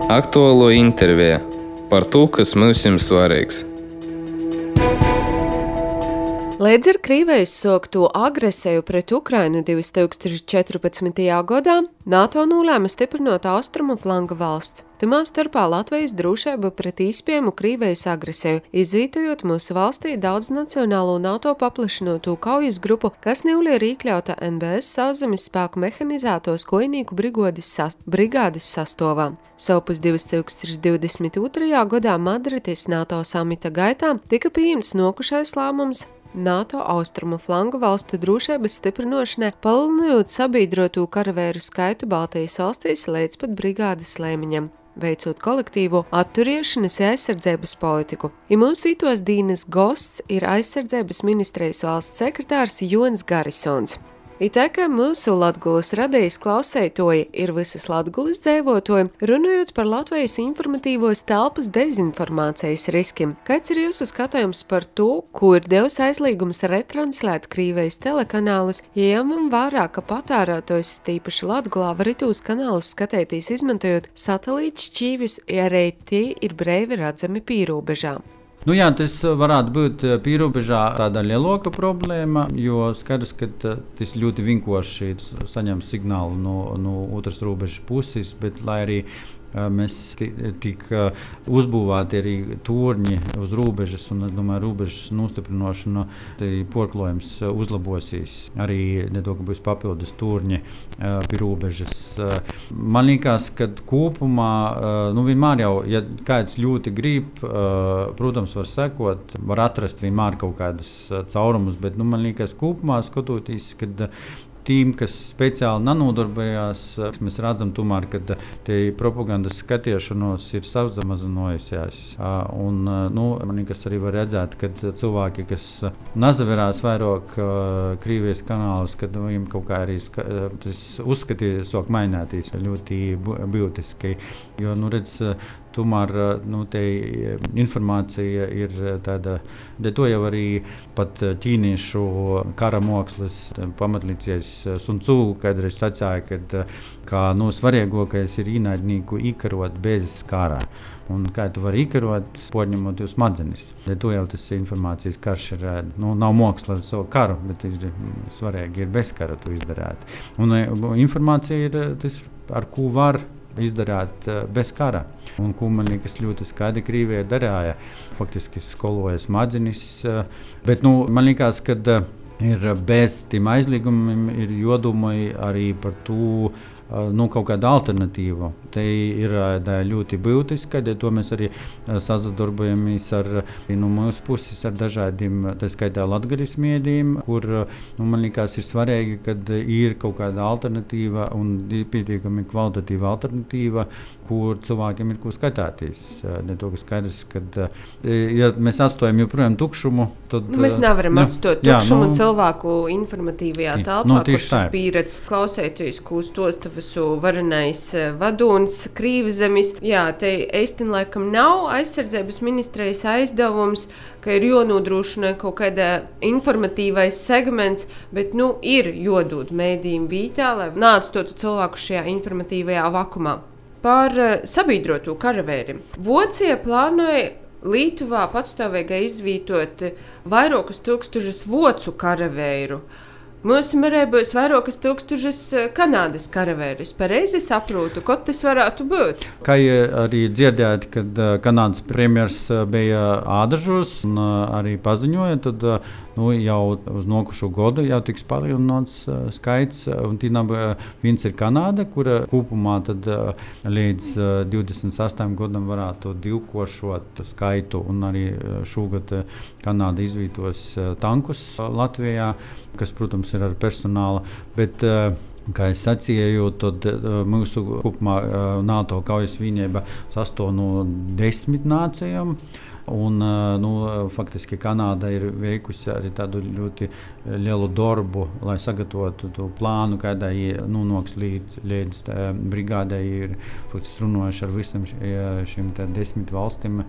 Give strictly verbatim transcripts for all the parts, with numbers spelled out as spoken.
Aktuālo interviju par to, kas mums ir svarīgs. Līdz ar Krievijas sākto agresiju pret Ukrainu divas tūkstoši četrpadsmitajā gadā NATO nolēma stiprinot austrumu flanga valsts. Tamā starpā Latvijas drošība pret īspējamu Krievijas agresiju, izvītojot mūsu valstī daudznacionālo NATO paplašinoto kaujas grupu, kas Nīvlī ir iekļauta N B S sauszemes spēku mehanizētos kojinīku brigādes, sas, brigādes sastāvā. Savpus divas tūkstoši divdesmit otrajā gadā Madrides NATO samita gaitā tika pieņemts nokušais lēmums NATO austrumu flangu valstu drošības stiprinošanai, palielinot sabiedroto karavēru skaitu Baltijas valstīs līdz pat brigādes līmeņam, veicot kolektīvo atturēšanas aizsardzības politiku. I mūsu itos dīnas gosts ir aizsardzības ministrijas valsts sekretārs Jons Garisons. I tā kā mūsu Latgulas radījis klausētoji ir visas Latgulas dzēvotoji, runājot par Latvijas informatīvos telpas dezinformācijas riskiem. Kāds ir jūsu skatījums par to, ko ir devis aizliegums retranslēt Krievijas telekanālus, ja ņemam vērā, ka patērētājs tīpaši Latgulā var itūs kanālus skatēties izmantojot satelītu šķīvjus, ja arī tie ir brīvi redzami pīrobežā? Nu jā, tas varētu būt pīrobežā tāda lielāka problēma, jo skaidrs, ka tas ļoti vienkārši saņem signālu no, no otras robežas puses, bet lai arī mēs tik uzbūvēti arī torņi uz robežas, un es domāju, robežas nostiprinošana, porklojums uzlabosies. Arī nedaudz būs papildus torņi pie robežas. Man liekas, ka kopumā, nu vienmēr jau, ja kāds ļoti grib, protams, var sekot, var atrast vienmēr kaut kādas caurumus, bet nu, man liekas, kopumā skatoties, kad tīm, kas speciāli nenodarbojās, mēs redzam tomēr, ka tie propagandas skatiešanos ir samazinājusies. Un, nu, man liekas, arī var redzēt, ka cilvēki, kas nezaverās vairāk Krievijas kanālus, kad viņiem kaut kā arī ska, tas uzskatīt sāk mainēties ļoti būtiski. Jo, nu, redz, tomēr nu, te informācija ir tāda, de to jau arī pat ķīniešu kara mākslas pamatlīdzies Sun Tzu kādreiz sacīja, kad kā nu, svarīgākais ir ienaidnieku īkarot bez kara. Un kā tu vari īkarot, podņemot jūs smadzenes. De to jau tas informācijas karš ir, nu, nav māksla ar savu karu, bet ir svarīgi ir bez kara to izdarāt. Un informācija ir tas, ar ko var izdarāt bez kara. Un ko man liekas ļoti skaidri Krievija darīja, faktiski skoloja smadzenes. Bet nu, man liekas, ka ir bez tiem aizliegumiem ir jodomai arī par to, nu, kaut kāda alternatīva. Te ir ļoti būtiska, to mēs arī sadarbojamies ar, no mūsu puses ar dažādiem, tā skaitā latgaļas mēdījiem, kur, nu, man liekas, ir svarīgi, kad ir kaut kāda alternatīva un pietiekami kvalitatīva alternatīva, kur cilvēkiem ir ko skatāties. Ne to, ka skaidrs, kad, ja mēs atstājam joprojām tukšumu, tad... Nu, mēs nevaram ne, atstāt tukšumu jā, nu, cilvēku informatīvajā telpā, nu, kurš ir pieredz klausēties, kūs tos visu varenais vadūns Krīvzemes. Jā, te eistin laikam nav aizsardzības ministrijas aizdevums, ka ir jonodrošina kaut kāda informatīvais segments, bet, nu, ir jodūt mēdījiem vītā, lai neatstotu cilvēku šajā informatīvajā vakumā. Par sabiedroto karavēri. Vācija plānoja Lietuvā patstāvīgai izvītot vairākus tūkstošus vācu karavēru. Mūsu marē būs vairākas tūkstošas Kanādas karavēris. Pareizi saprotu, ko tas varētu būt? Kā arī dzirdējāt, kad Kanādas premjers bija Ādažos un arī paziņoja, tad nu, jau uz nokušo gadu jau tiks palielināts skaits. Un tī nav viens ir Kanāda, kura kopumā tad līdz divdesmit astoņiem gadam varētu divkošot skaitu. Un arī šogad Kanāda izvītos tankus Latvijā, kas, protams, ir ar personāla, bet, kā es sacīju, tad mūsu kopumā NATO kaujas vienība sastāv no desmit nācijām. Un, nu, faktiski Kanāda ir veikusi arī tādu ļoti lielu darbu, lai sagatavotu to plānu, kādā nonāks līdz, līdz brigādei. Ir faktiski runājuši ar visam šīm desmit valstīm,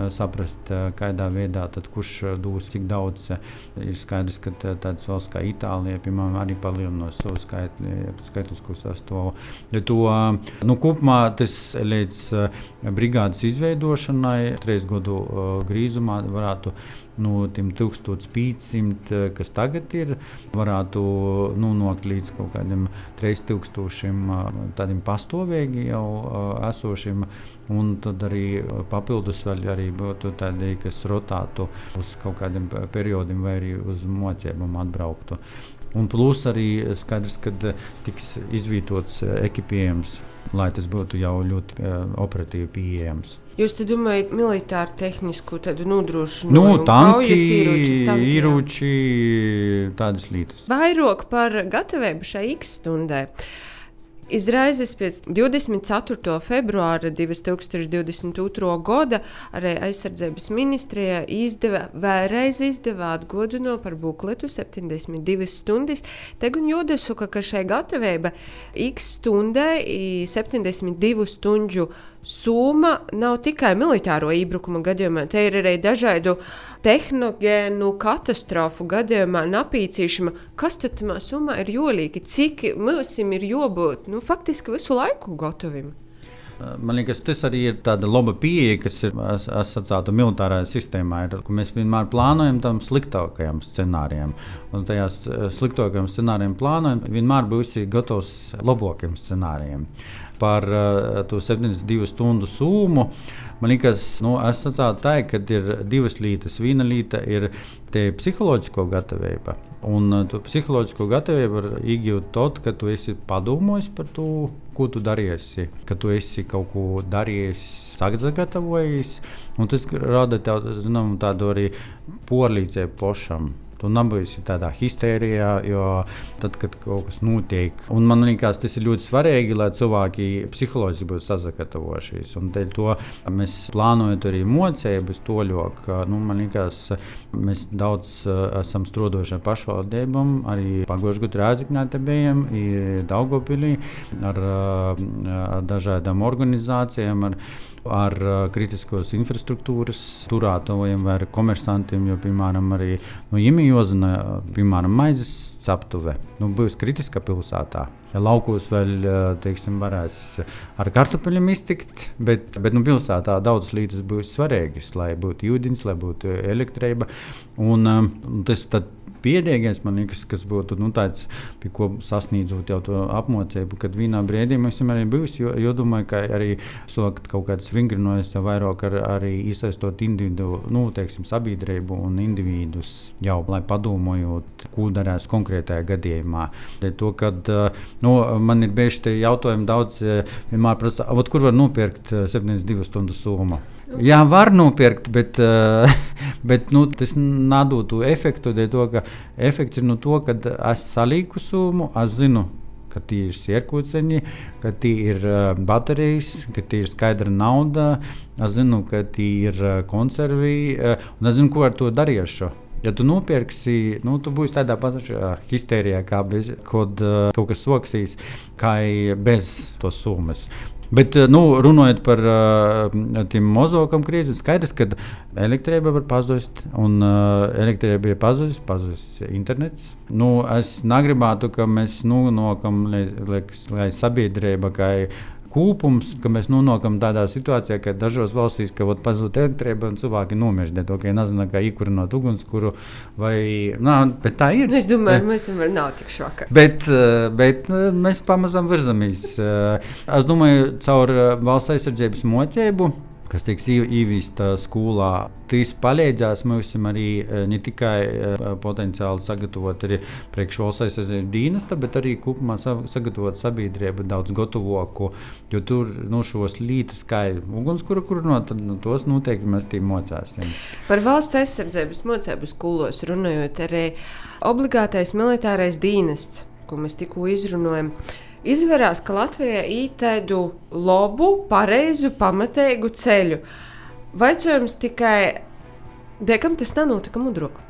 saprast, kādā veidā, tad, kurš dos cik daudz. Ir skaidrs, ka tādas valsts kā Itālija, piemēram, arī palielinās savu skaitlisko sastāvu. To, nu, kopumā tas līdz brigādes izveidošanai trīs gadu grīzumā varētu no tiem tūkstoš piecsimt, kas tagad ir, varētu nonākt līdz kaut kādiem trīs tūkstošiem tādiem pastāvīgi jau esošiem, un tad arī papildus vēl arī būtu tādi, kas rotātu uz kaut kādiem periodiem vai arī uz mocībām atbrauktu. Un plus arī skaidrs, ka tiks izvītots ekipējums, lai tas būtu jau ļoti uh, operatīvi pieejams. Jūs te domājat militāru tehnisku tādu nodrošinājumu? Nu, tanki, ieročus, tanki, ieroči, tādas lietas. Vairāk par gatavību šai X stundai. Izraizes pēc divdesmit ceturtā februāra divtūkstoš divdesmit otrā gada arī aizsardzības ministrijā izdeva, vēlreiz izdeva atgodino par bukletu septiņdesmit divas stundas. Tegun jūdasuka, ka šai gatavība X stundai septiņdesmit divu stundu summa nav tikai militāro iebrukuma gadījumā, te ir arī dažādu tehnogēnu katastrofu gadījumā napīcīšana. Kas tad tamā summā ir jolīgi? Cik mūsim ir jābūt nu, faktiski visu laiku gatavim? Man liekas, tas arī ir tāda laba pieeja, kas ir asociēta militārajā sistēmā. Ir, ka mēs vienmēr plānojam tam sliktākajam scenārijam. Un tajā sliktākajam scenārijam plānojam, vienmēr būs gatavs labākiem scenārijiem. Par uh, to septiņdesmit divu stundu summu. Man liekas, nu, es sacātu tā, ka ir divas lietas. Viena lieta ir te psiholoģisko gatavība. Un uh, to psiholoģisko gatavību var iegūt tad, kad tu esi padomājis par to, ko tu darīsi. Kad tu esi kaut ko darījis, sagatavojis. Un tas rada tādu, zinām, tādu arī porlīdzību pašam. Tu nebūsi tādā histērijā, jo tad, kad kaut kas notiek. Un man liekas, tas ir ļoti svarīgi, lai cilvēki psiholoģiski būtu sagatavojušies. Un dēļ to mēs plānojam arī mocības toļok. Nu, man liekas, mēs daudz esam strādājuši ar pašvaldībām, arī pagājušajā gadā Rēzeknē te bijām, Daugavpilī, ar, ar dažādām organizācijām, ar ar kritiskos infrastruktūras turētājiem vai komersantiem, jo, piemēram, arī no Imijozina, piemēram, maizes ceptuve, nu, būs kritiska pilsētā. Laukos vēl, teiksim, varēs ar kartupeļiem iztikt, bet, bet nu, pilsētā daudzas lietas būs svarīgas, lai būtu ūdens, lai būtu elektrība. Un, un tas tad piedīgais, man liekas, kas būtu nu, tāds, pie ko sasniedzot jau to apmocību, kad vienā brīdī mēs arī būs, jo, jo domāju, ka arī sokt kaut kāds vingrinojas jau vairāk ar, arī iesaistot individu, nu, teiksim, sabiedrību un individus jau, lai padomājot, ko darās konkrētajā gadījumā. To, kad, nu, man ir bieži te jautājumi daudz, vienmēr prasa, kur var nopirkt septiņdesmit divu stundu summu? Jā, var nopirkt, bet, bet nu, tas nedod to efektu, to, ka efekts ir no to, ka es salīku summu, es zinu, ka tie ir sierkūceņi, ka tie ir baterijas, ka tie ir skaidra nauda, es zinu, ka tie ir konservi, un es zinu, ko ar to darīšu. Ja tu nopirksi, nu, tu būsi tādā pašā histērijā, kā bez, kad kaut kas soksīs, kā bez tos summas. Bet, nu, runājot par uh, tiem mozokam krīzes, skaidrs, ka elektrība var pazust, un uh, elektrība ir pazust, pazust internets. Nu, es negribētu, ka mēs nonākam, lai, lai sabiedrība, kā kūpums, ka mēs nonākam tādā situācijā, ka dažos valstīs, ka pazūd elektrība un cilvēki nomirst, to, ka nezinu, kā ikurinot ugunskura vai, nā, bet tā ir. Es domāju, mēs vēl nav tik šokā. Bet, bet mēs pamazām virzamies. Es domāju, caur valsts aizsardzības mocību, kas tiks īvīsta skolā, tas palīdzēs mums arī ne tikai potenciāli sagatavot arī priekš valsts aizsardzības dienesta, bet arī kopumā sagatavot sabiedrību daudz gatavoku, jo tur no šos lietas, kā ugunskura kurinot, tad no tos noteikti mēs tī mocāsim. Par valsts aizsardzības mocību skolos runājot, arī obligātais militārais dienests, ko mēs tikko izrunājam, izvērās, ka Latvijā īt tādu labu, pareizu, pamatēgu ceļu. Vaicājums tikai, dekam tas nenotika mudrok?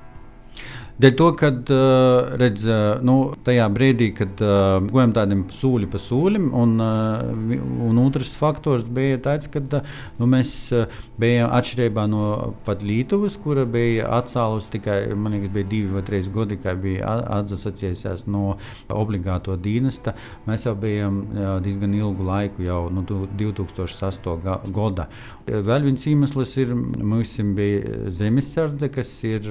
Dēļ to, kad uh, redz, uh, nu, tajā brīdī, kad uh, gojam tādiem sūļi pa sūļim, un, uh, un otrs faktors bija tāds, ka uh, nu, mēs uh, bijām atšķirībā no pat Lietuvas, kura bija atcēlus tikai, man liekas, bija divi vai trīs gadi, kā bija atsacījusies no obligāto dienesta. Mēs jau bijām uh, diezgan ilgu laiku, jau no nu, divi tūkstoši astoņā gada. Vēl viens iemesls ir, mums bija zemesardze, kas ir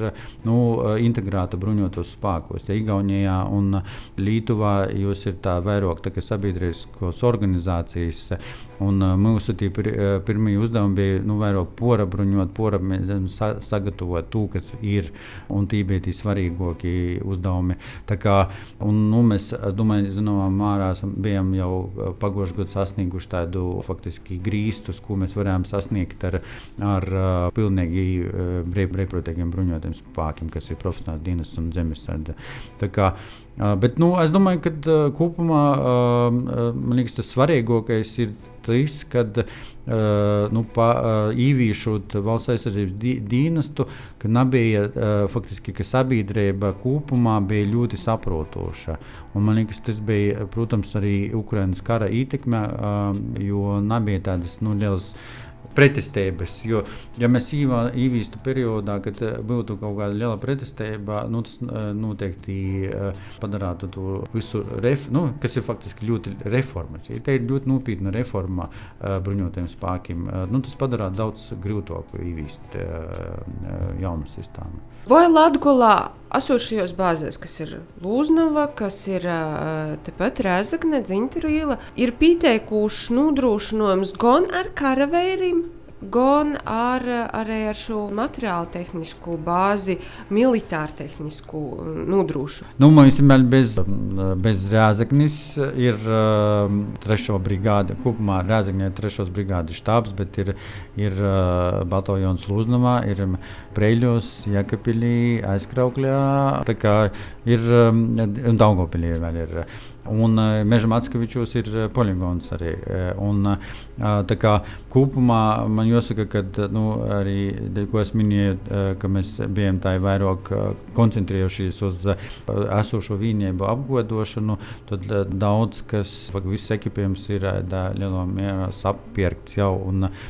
nu, integrēta bruņotos spēkos. Ja Igaunijā un Lietuvā jūs ir tā vairāk tā, sabiedriskos organizācijas, un mūsu tī pir, pirmie uzdevumi bija nu, vairāk pora bruņot, pora sa, sagatavot to, kas ir, un tī bija tī svarīgākie uzdevumi. Tā kā, un, nu, mēs, domāju, zināmā mērā bijām jau pagošu gadu sasnieguši tādu faktiski grīstus, ko mēs varējām sasniegt ar, ar pilnīgi brīvprātīgiem bruņotiem spēkiem, kas ir profesionāls dienests un zemesardze. Tā kā, bet, nu, es domāju, ka kopumā, man liekas, tas svarīgākais ir tas, kad nu, pa, īvīšot valsts aizsardzības dienestu, ka nebija faktiski, ka sabiedrība kopumā bija ļoti saprotoša. Un man liekas, tas bija, protams, arī Ukrainas kara ietekme, jo nebija tādas nu, lielas pretestības, jo, ja mēs īvīstu periodā, kad būtu kaut kāda liela pretestība, nu, tas noteikti padarātu to visu, ref, nu, kas ir faktiski ļoti reforma. Tā ir ļoti nopietna reforma bruņotiem spēkiem. Nu, tas padarātu daudz grūtāku īvīst jaunu sistēmu. Vai Latgolā esošajos bāzēs, kas ir Lūznava, kas ir tepat Rēzakne, Dzintaru iela, ir pieteikuši nodrošinājums gan ar karavīriem, gan ar, arī ar šo materiālu tehnisku bāzi, militāru tehnisku nodrošu? Nu, mums bez, bez Rēzaknis ir uh, trešo brigāde, kopumā Rēzaknē ir trešos brigādes štābs, bet ir, ir uh, bataljons Lūznavā, ir Preļos, Jēkabpilī, Aizkraukļā, tā kā ir, um, un Daugavpilī vēl ir. Un uh, Meža Mackevičos ir uh, poligons arī. Un, uh, tā kā kopumā man jāsaka, ka nu, arī, ko es minēju, uh, ka mēs bijām tā vairāk uh, koncentrējušies uz uh, esošo vienību apgodošanu, tad uh, daudz, kas, viss ekipējums ir uh, lielā mērā sapirkts jau, un uh,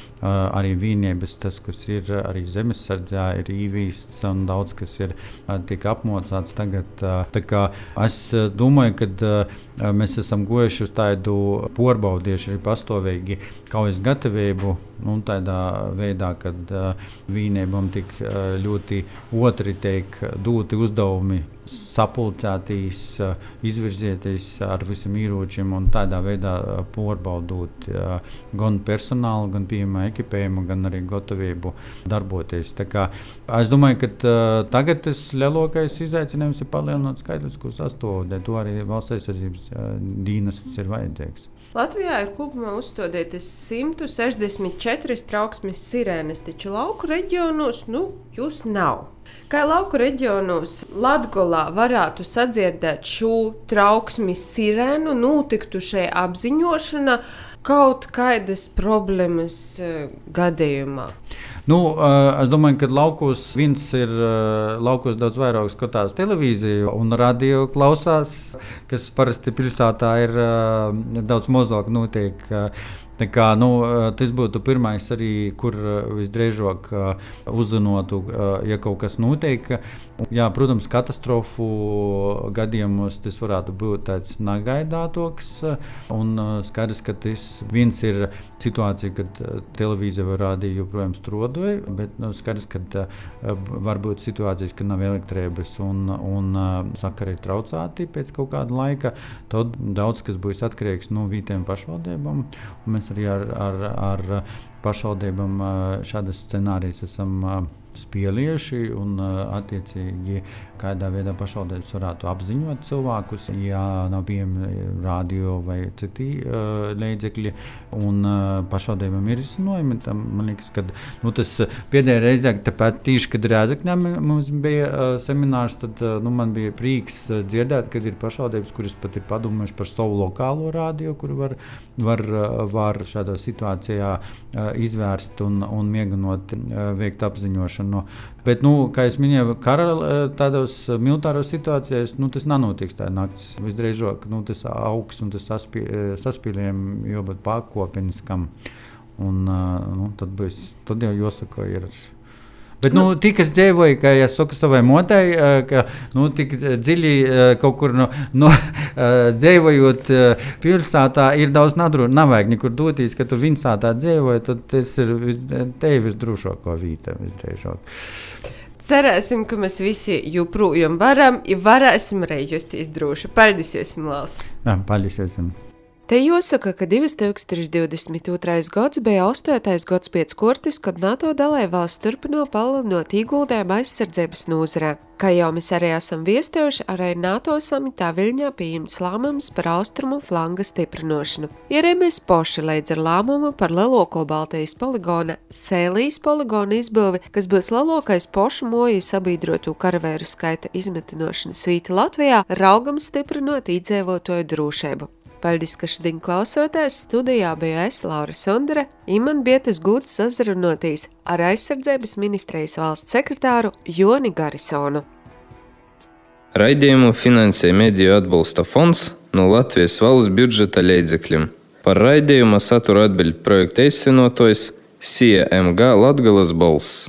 arī vienības, tas, kas ir arī zemesardzē, ir īvīsts, un daudz, kas ir uh, tiek apmocāts tagad. Uh, tā kā es uh, domāju, ka uh, mēs esam gojuši uz tādu porbaudieši arī pastāvīgi kaujas gatavību, nu, tādā veidā, kad uh, vienībām tik uh, ļoti otri tiek doti uzdevumi sapulcētīs, uh, izvirzieties ar visiem ieročiem un tādā veidā uh, porbaudot uh, gan personālu, gan pieejamā ekipējumu, gan arī gatavību darboties. Tā kā es domāju, ka uh, tagad tas lielākais izaicinājums ir palielināt skaitlisko sastāvdaļu, to arī valsts aizsardzības uh, dienests ir vajadzīgs. Latvijā ir kopumā uzstādītas simt sešdesmit četras trauksmes sirēnas, taču lauku reģionos nu, jūs nav. Kā lauku reģionos Latgolā varētu sadzirdēt šo trauksmes sirēnu, notiktu šai apziņošana kaut kādas problēmas gadījumā? Nu, es domāju, ka laukos viens ir laukos daudz vairāk skatās televīziju un radio klausās, kas parasti pilsētā ir daudz mazāk notiek. Tā kā, nu, tas būtu pirmais arī, kur visdrīzāk uzzinotu, ja kaut kas notiek. Jā, protams, katastrofu gadījumos tas varētu būt tāds negaidātoks. Un skaidrs, ka tas viens ir situācija, kad televīzija vai radio joprojām strodoja, bet nu, skaidrs, ka var būt situācijas, kad nav elektrības un, un sakari ir traucēti pēc kaut kāda laika. Tad daudz kas būs atkarīgs no vietējām pašvaldībām. Mēs arī ar, ar, ar pašvaldībām šādas scenārijas esam spielieši un attiecīgi kādā veidā pašvaldības varētu apziņot cilvēkus, ja nav pieejami radio vai citi uh, līdzekļi, un uh, pašvaldībām ir izcinojumi. Tam, man liekas, ka nu, tas pēdējā reizē, tāpēc tīši, kad Rēzeknē mums bija uh, seminārs, tad uh, nu, man bija prieks uh, dzirdēt, kad ir pašvaldības, kuras pat ir padomājuši par savu lokālo radio, kuru var, var, uh, var šādā situācijā uh, izvērst un, un mēģinot uh, veikt apziņošanu. Bet, nu, kā es minēju, kara tādos militāros situācijās, nu, tas nenotiks tā naktis. Visdrīzāk, nu, tas augs un tas saspī, saspīlējumi jābūt pakopeniskam. Un, nu, tad, būs, tad jau jāsaka, ir. Bet, nu, tik es dzīvoju, ka es saku savai motei, ka, nu, tik dziļi kaut kur, nu, nu dzīvojot pilsētā, ir daudz nadru, nav vajag nekur doties, ka tu vinsātā dzīvoji, tad tas ir tevi visdrošākā vīta, visdrīzāk. Cerēsim, ka mēs visi joprojām varam, ja varēsim arī justies droši. Paldies jums, Laus! Jā, paldies jums! Te jāsaka, ka divi tūkstoši divdesmit otrais gads bija astotais gads pēc kortes, kad NATO dalībvalsts turpino palielinot ieguldījumu aizsardzības nozarē. Kā jau mēs arī esam viestējuši, arī NATO samitā Viļņā pieņemts lēmums par austrumu flanga stiprināšanu. Ir arī mēs paši līdz ar lēmumu par lielāko Baltijas poligona Sēlijas poligona izbūvi, kas būs lielākais pašu moju sabiedrotu karavēru skaita izmitināšanas vīta Latvijā, raugam stiprinot iedzīvotāju drošību. Paldies, ka šodien klausotās. Studijā bija es, Laura Sondere, un man bija tas gods sazrunāties ar aizsardzības ministrijas valsts sekretāru Joni Garisonu. Raidījumu finansēja Mediju atbalsta fonds no Latvijas valsts budžeta līdzekļiem. Par raidījuma satura atbild projekta īstenotājs S I A M G Latgales balss.